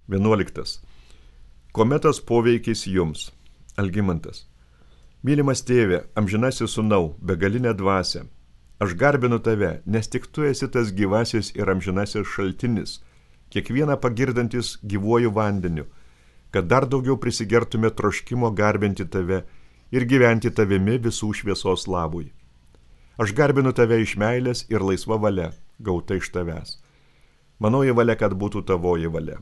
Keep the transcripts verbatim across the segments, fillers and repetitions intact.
vienuoliktas. Kometos poveikis jums. Algimantas. Mylimas tėve, amžinasis sūnau, begalinė dvasia. Aš garbinu tave, nes tik tu esi tas gyvasis ir amžinasis šaltinis, kiekvieną pagirdantis gyvuoju vandeniu, kad dar daugiau prisigertume troškimo garbinti tave ir gyventi tavimi visų šviesos labui. Aš garbinu tave iš meilės ir laisva valia, gauta iš tavęs. Manoji valia, kad būtų tavoji valia.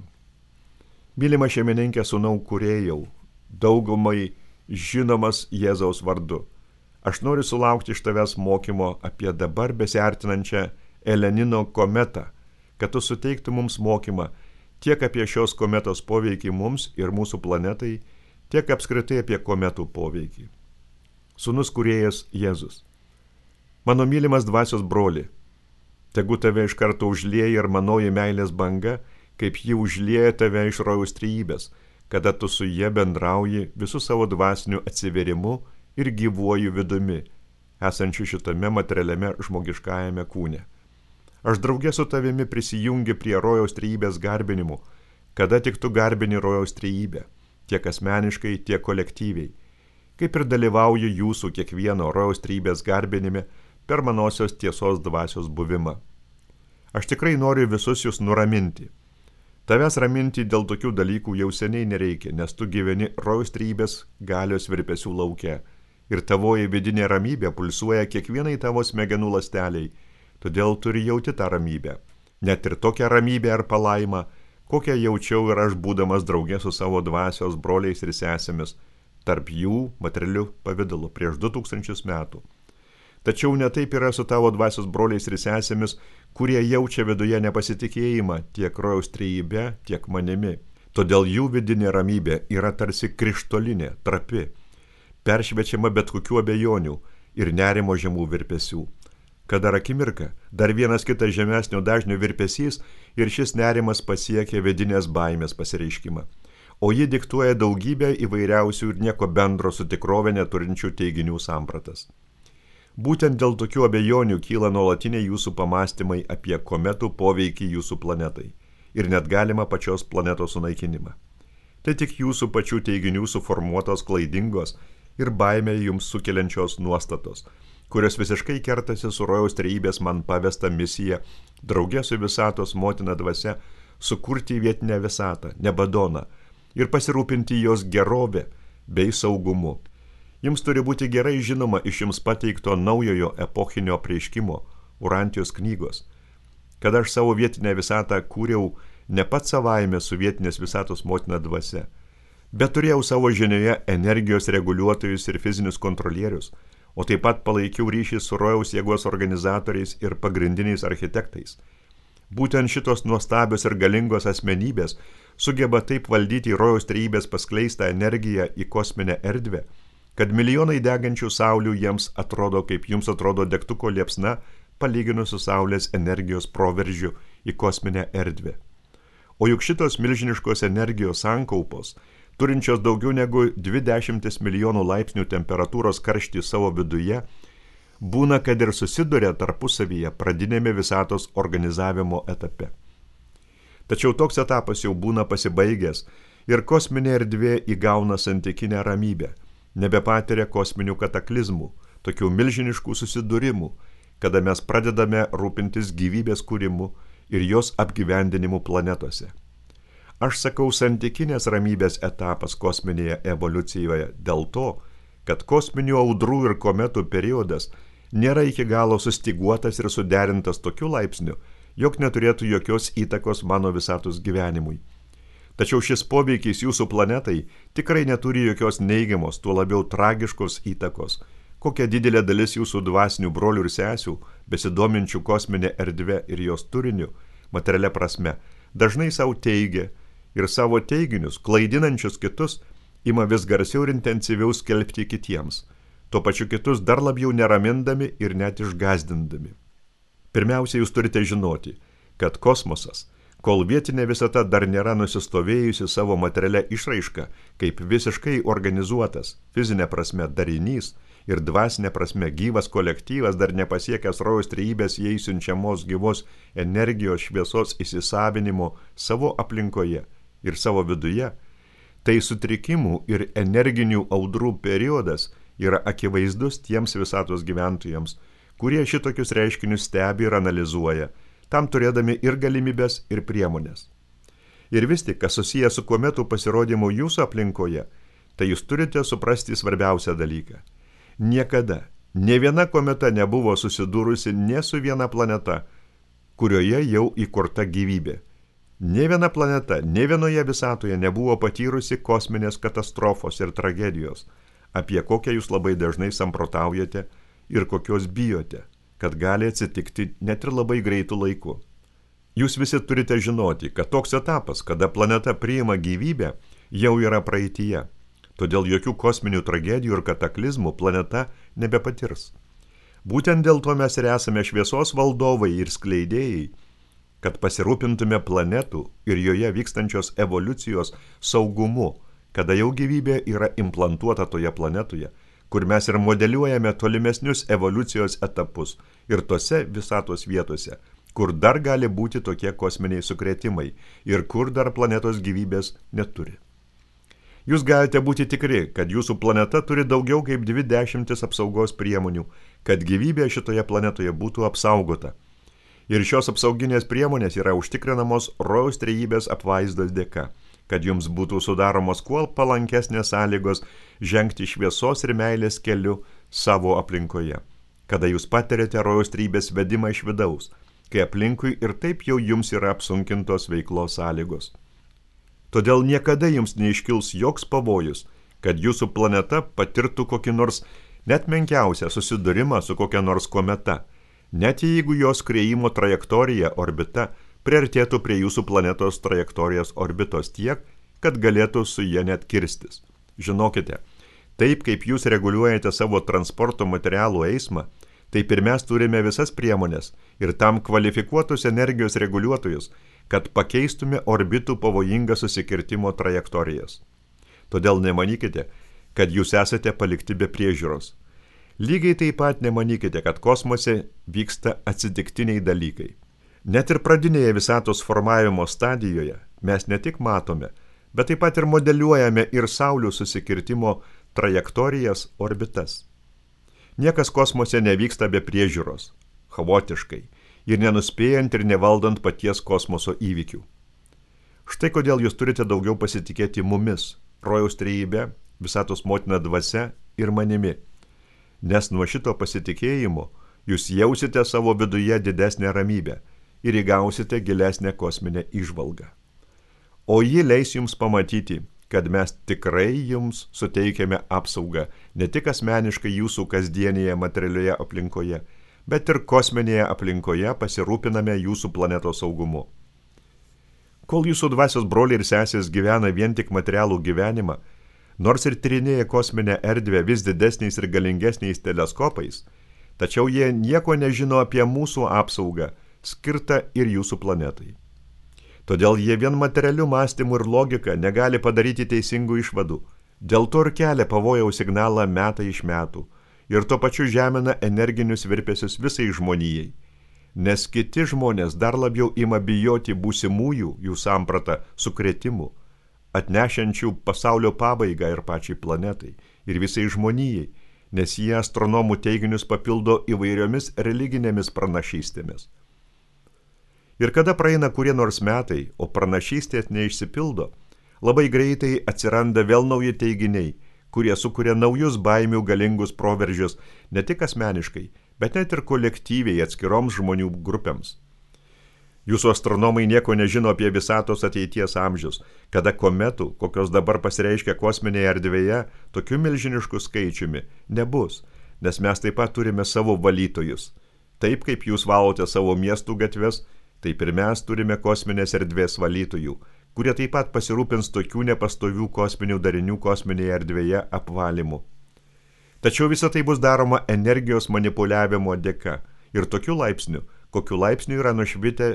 Mylima šeimininkė sūnau kūrėjau, daugumai žinomas Jėzaus vardu. Aš noriu sulaukti iš tavęs mokymo apie dabar besiartinančią Elenino kometą, kad tu suteiktų mums mokymą tiek apie šios kometos poveikį mums ir mūsų planetai, tiek apskritai apie kometų poveikį. Sūnus kūrėjas Jėzus. Mano mylimas dvasios broli, tegu tave iš karto užlieja ir manoji meilės banga, kaip ji užlieja tave iš rojaus trejybės, kada tu su jie bendrauji visų savo dvasiniu atsiverimu ir gyvuoju vidumi, esančiu šitame materialiame žmogiškajame kūne. Aš draugė su tavimi prisijungi prie rojaus trejybės garbinimu, kada tik tu garbini rojaus trejybę, tiek asmeniškai, tiek kolektyviai, kaip ir dalyvauju jūsų kiekvieno rojaus trejybės garbinime per manosios tiesos dvasios buvimą. Aš tikrai noriu visus jūs nuraminti. Tavęs raminti dėl tokių dalykų jau seniai nereikia, nes tu gyveni rojaus trejybės galios virpesių lauke ir tavoji vidinė ramybė pulsuoja kiekvienai tavo smegenų ląsteliai, todėl turi jauti tą ramybę. Net ir tokią ramybę ar palaimą, kokią jaučiau ir aš būdamas draugė su savo dvasios broliais ir sesėmis, tarp jų materialiu pavidalu prieš du tūkstančius metų. Tačiau netaip yra su tavo dvasios broliais ir sesėmis, kurie jaučia viduje nepasitikėjimą tiek rojaus trejybe, tiek manimi. Todėl jų vidinė ramybė yra tarsi krištolinė, trapi, peršviečiama bet kokių abejonių ir nerimo žemų virpesių. Kad dar akimirka, dar vienas kitas žemesnio dažnio virpesys ir šis nerimas pasiekia vidinės baimės pasireiškimą, o ji diktuoja daugybę įvairiausių ir nieko bendro su tikrove neturinčių teiginių sampratas. Būtent dėl tokių abejonių kyla nuolatiniai jūsų pamastymai apie kometų poveikį jūsų planetai ir net galima pačios planetos sunaikinimą. Tai tik jūsų pačių teiginių suformuotos klaidingos ir baimę jums sukeliančios nuostatos, kurios visiškai kertasi su rojaus trejybės man pavesta misija draugė su visatos motina dvasia sukurti vietinę visatą, Nebadoną, ir pasirūpinti jos gerovę bei saugumu. Jums turi būti gerai žinoma iš jums pateikto naujojo epochinio apreiškimo Urantijos knygos, kad aš savo vietinę visatą kūriau ne pats savaime su vietinės visatos motina dvasia, bet turėjau savo žinioje energijos reguliuotojus ir fizinius kontrolierius, o taip pat palaikiau ryšį su rojaus jėgos organizatoriais ir pagrindiniais architektais. Būtent šitos nuostabios ir galingos asmenybės sugeba taip valdyti rojaus trejybės paskleistą energiją į kosminę erdvę, kad milijonai degančių saulių jiems atrodo, kaip jums atrodo degtuko liepsna, palyginus su saulės energijos proveržiu į kosminę erdvę. O juk šitos milžiniškos energijos sankaupos, turinčios daugiau negu dvidešimt milijonų laipsnių temperatūros karštį savo viduje, būna, kad ir susiduria tarpusavyje pradinėme visatos organizavimo etape. Tačiau toks etapas jau būna pasibaigęs ir kosminė erdvė įgauna santykinę ramybę, nebepatiria kosminių kataklizmų, tokių milžiniškų susidūrimų, kada mes pradedame rūpintis gyvybės kūrimu ir jos apgyvendinimu planetose. Aš sakau santykinės ramybės etapas kosminėje evoliucijoje dėl to, kad kosminių audrų ir kometų periodas nėra iki galo sustyguotas ir suderintas tokiu laipsniu, jog neturėtų jokios įtakos mano visatos gyvenimui. Tačiau šis poveikis jūsų planetai tikrai neturi jokios neigiamos, tuo labiau tragiškos įtakos, kokia didelė dalis jūsų dvasinių brolių ir sesių, besidominčių kosminę erdvę ir jos turiniu, materialia prasme, dažnai savo teigia ir savo teiginius, klaidinančius kitus, ima vis garsiau ir intensyviau skelbti kitiems, tuo pačiu kitus dar labiau neramindami ir net išgazdindami. Pirmiausia, jūs turite žinoti, kad kosmosas, kol vietinė visata dar nėra nusistovėjusi savo materialia išraiška, kaip visiškai organizuotas, fizinė prasme darinys ir dvasinė prasme gyvas kolektyvas dar nepasiekęs rojaus trejybės jai siunčiamos gyvos energijos šviesos įsisavinimo savo aplinkoje, ir savo viduje, tai sutrikimų ir energinių audrų periodas yra akivaizdus tiems visatos gyventojams, kurie šitokius reiškinius stebi ir analizuoja, tam turėdami ir galimybės, ir priemonės. Ir vis tik, kas susiję su kometų pasirodymu jūsų aplinkoje, tai jūs turite suprasti svarbiausią dalyką. Niekada, ne viena kometa nebuvo susidūrusi ne su viena planeta, kurioje jau įkurta gyvybė. Ne viena planeta, ne vienoje visatoje nebuvo patyrusi kosminės katastrofos ir tragedijos, apie kokią jūs labai dažnai samprotaujate ir kokios bijote, kad gali atsitikti net ir labai greitų laiku. Jūs visi turite žinoti, kad toks etapas, kada planeta priima gyvybę, jau yra praeityje. Todėl jokių kosminių tragedijų ir kataklizmų planeta nebepatirs. Būtent dėl to mes ir esame šviesos valdovai ir skleidėjai, kad pasirūpintume planetų ir joje vykstančios evoliucijos saugumu, kada jau gyvybė yra implantuota toje planetoje, kur mes ir modeliuojame tolimesnius evoliucijos etapus ir tose visatos vietose, kur dar gali būti tokie kosminiai sukrėtimai ir kur dar planetos gyvybės neturi. Jūs galite būti tikri, kad jūsų planeta turi daugiau kaip dvi dešimtis apsaugos priemonių, kad gyvybė šitoje planetoje būtų apsaugota. Ir šios apsauginės priemonės yra užtikrinamos rojaus trejybės apvaizdos dėka, kad jums būtų sudaromos kuo palankesnės sąlygos žengti šviesos ir meilės keliu savo aplinkoje, kada jūs patiriate rojaus trejybės vedimą iš vidaus, kai aplinkui ir taip jau jums yra apsunkintos veiklos sąlygos. Todėl niekada jums neiškils joks pavojus, kad jūsų planeta patirtų kokį nors net menkiausią susidūrimą su kokia nors kometa, net jeigu jos skriejimo trajektorija, orbita, priartėtų prie jūsų planetos trajektorijos orbitos tiek, kad galėtų su jie net kirstis. Žinokite, taip kaip jūs reguliuojate savo transporto materialų eismą, taip ir mes turime visas priemonės ir tam kvalifikuotus energijos reguliuotojus, kad pakeistume orbitų pavojingą susikirtimo trajektorijas. Todėl nemanykite, kad jūs esate palikti be priežiūros. Lygiai taip pat nemanykite, kad kosmose vyksta atsitiktiniai dalykai. Net ir pradinėje visatos formavimo stadijoje mes ne tik matome, bet taip pat ir modeliuojame ir saulių susikirtimo trajektorijas, orbitas. Niekas kosmose nevyksta be priežiūros, chaotiškai, ir nenuspėjant ir nevaldant paties kosmoso įvykių. Štai kodėl jūs turite daugiau pasitikėti mumis, rojaus trejybe, visatos motina dvasia ir manimi. Nes nuo šito pasitikėjimo jūs jausite savo viduje didesnę ramybę ir įgausite gilesnę kosminę įžvalgą. O ji leis jums pamatyti, kad mes tikrai jums suteikiame apsaugą ne tik asmeniškai jūsų kasdienėje materialioje aplinkoje, bet ir kosminėje aplinkoje pasirūpiname jūsų planetos saugumu. Kol jūsų dvasios broliai ir sesės gyvena vien tik materialų gyvenimą, nors ir tyrinėja kosminę erdvę vis didesniais ir galingesniais teleskopais, tačiau jie nieko nežino apie mūsų apsaugą, skirtą ir jūsų planetai. Todėl jie vien materialių mąstymų ir logika negali padaryti teisingų išvadų, dėl to ir kelia pavojaus signalą metai iš metų ir tuo pačiu žemina energinius virpesius visai žmonijai, nes kiti žmonės dar labiau ima bijoti būsimųjų jų sampratą sukrėtimų, atnešiančių pasaulio pabaigą ir pačiai planetai ir visai žmonijai, nes jie astronomų teiginius papildo įvairiomis religinėmis pranašystėmis. Ir kada praeina kurie nors metai, o pranašystės neišsipildo, labai greitai atsiranda vėl nauji teiginiai, kurie sukuria naujus baimių galingus proveržius ne tik asmeniškai, bet net ir kolektyviai atskiroms žmonių grupėms. Jūsų astronomai nieko nežino apie visatos ateities amžius, kada kometų, kokios dabar pasireiškia kosminėje erdvėje, tokiu milžinišku skaičiumi nebus, nes mes taip pat turime savo valytojus. Taip kaip jūs valote savo miestų gatves, taip ir mes turime kosminės erdvės valytojų, kurie taip pat pasirūpins tokių nepastovių kosminių darinių kosminėje erdvėje apvalymu. Tačiau visa tai bus daroma energijos manipuliavimo dėka ir tokiu laipsniu, kokiu laipsniu yra nušvitę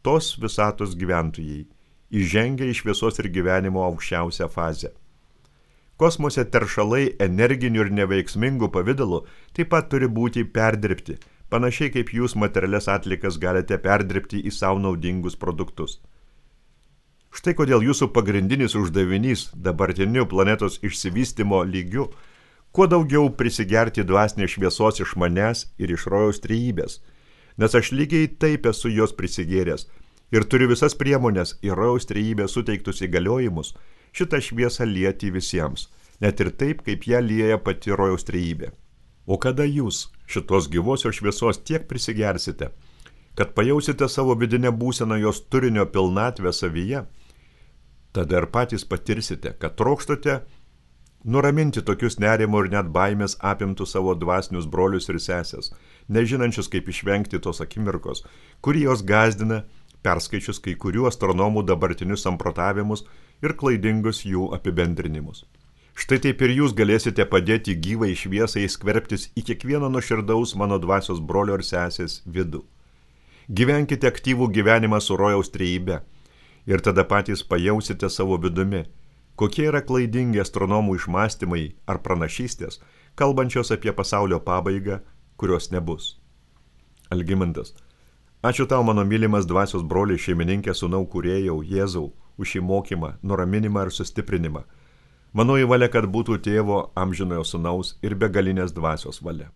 tos visatos gyventojai, įžengia į šviesos ir gyvenimo aukščiausią fazę. Kosmose teršalai energinių ir neveiksmingų pavidalų taip pat turi būti perdirbti, panašiai kaip jūs materialias atlikas galite perdirbti į savo naudingus produktus. Štai kodėl jūsų pagrindinis uždavinys dabartiniu planetos išsivystimo lygiu kuo daugiau prisigerti dvasinės šviesos iš manęs ir iš rojaus trejybės, nes aš lygiai taip esu jos prisigėręs ir turiu visas priemonės ir rojaus trejybės suteiktus įgaliojimus šitą šviesą lieti visiems, net ir taip, kaip ją lieja pati rojaus trejybė. O kada jūs šitos gyvosios šviesos tiek prisigersite, kad pajausite savo vidinę būseną jos turinio pilnatvę savyje, tada ir patys patirsite, kad trokštate nuraminti tokius nerimo ir net baimės apimtų savo dvasinius brolius ir sesės, nežinančius kaip išvengti tos akimirkos, kurį jos gazdina, perskaičius kai kurių astronomų dabartinius samprotavimus ir klaidingus jų apibendrinimus. Štai taip ir jūs galėsite padėti gyvai šviesai skverbtis į kiekvieno nuoširdaus mano dvasios brolio ir sesės vidų. Gyvenkite aktyvų gyvenimą su rojaus trejybe ir tada patys pajausite savo vidumi, kokie yra klaidingi astronomų išmąstymai ar pranašystės, kalbančios apie pasaulio pabaigą, kurios nebus. Algimantas. Ačiū tau, mano mylimas dvasios broliai, šeimininkė, sūnau, kūrėjau, Jėzau, už šį mokymą, nuraminimą ir sustiprinimą. Manoji valia, kad būtų tėvo amžinojo sūnaus ir begalinės dvasios valia.